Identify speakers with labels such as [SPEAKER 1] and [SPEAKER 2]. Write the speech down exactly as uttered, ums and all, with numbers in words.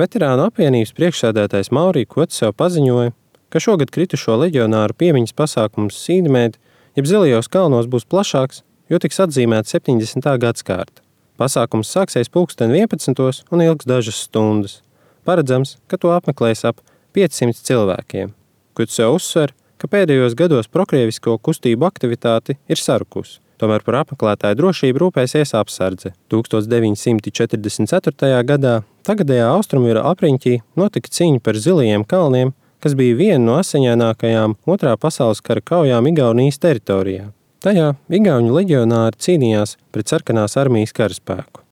[SPEAKER 1] Veterānu apvienības priekšsēdētājs Maurī Kotseu paziņoja, ka šogad kritušo leģionāru piemiņas pasākums Sīdmēd, jeb Zilajos kalnos būs plašāks, jo tiks atzīmēta septiņdesmitā gadskārta. Pasākums sāksies pulksten vienpadsmitos un ilgs dažas stundas. Paredzams, ka to apmeklēs ap piecsimt cilvēkiem. Kotseu uzsver, ka pēdējos gados prokrievisko kustību aktivitāte ir sarukusi. Tomēr par apmeklētāju drošību rūpēsies apsardze. tūkstoš deviņsimt četrdesmit ceturtajā gadā tagadējā Austrumjūra apriņķī notika cīņa par Zilajiem kalniem, kas bija viena no asiņainākajām otrā pasaules kara kaujām Igaunijas teritorijā. Tajā igauņu leģionāri cīnījās pret sarkanās armijas karaspēku.